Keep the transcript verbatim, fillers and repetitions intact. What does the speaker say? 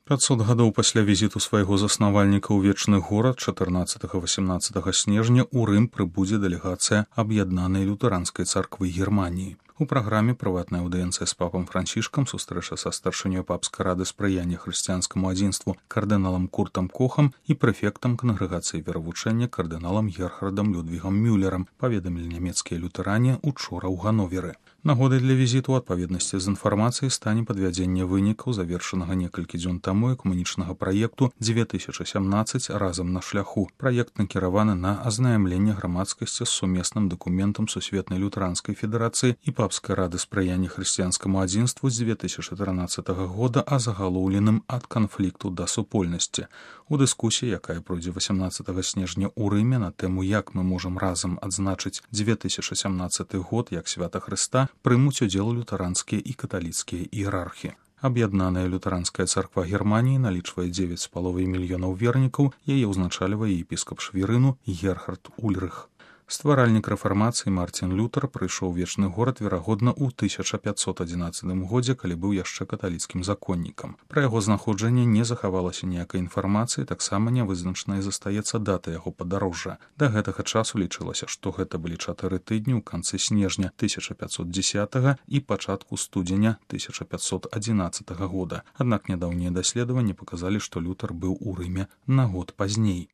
пятьсот гадоў пасля візіту свайго заснавальніка ў вечны горад чатырнаццатага-васямнаццатага снежня ў Рым прыбудзе дэлегацыя аб'яднанай лютэранскай царквы Германіі. У праграме прыватная аўдыенцыя з папам Францішкам, сустрэча са старшынёй папскай рады спрыяння хрысціянскаму адзінству кардыналам Куртам Кохам і прэфектам кангрэгацыі веравучэння кардыналам Герхардам Людвігам Мюллерам, паведамілі нямецкія лютэране учора ў Гановеры. Нагодай для візіту ў адпаведнасці з інфармацыяй стане падвядзенне вынікаў завершанага некалькі дзён таму экумэнічнага праекту дзве тысячы сямнаццаць разам на шляху. Праект накіраваны на азнаямленне грамадскасці з сумесным дакументам Сусветнай лютэранскай федэрацыі і папскай рады спрыяння хрысціянскаму адзінству з дзве тысячы трынаццатага года о загалоўленым ад канфлікту да супольнасці. У дыскусіі, якая пройдзе васямнаццатага снежня ў Рыме на тэму «Як мы можам разам адзначыць дзве тысячы сямнаццаты год як свята Хрыста», прымуць удзел лютэранскія і каталіцкія іерархі. Аб'яднаная лютэранская царква Германіі налічвае дзевяць з паловай мільёнаў вернікаў, яе ўзначальвае епіскап Швірыну Герхард Ульрых. Стваральнік рэфармацыі Мартін Лютэр прыйшоў у вечны горад, верагодна, у тысяча пятьсот адзінаццатым годзе, калі быў яшчэ каталіцкім законнікам. Пра яго знаходжанне не захавалася ніякай інфармацыі, таксама нявызначанай застаецца дата яго падарожжа. Да гэтага часу лічылася, што гэта былі чатыры тыдні ў канцы снежня тысяча пятьсот дзесятага і пачатку студзеня тысяча пятьсот адзінаццатага года. Аднак нядаўнія даследаванні паказалі, што Лютэр быў у Рыме на год пазней.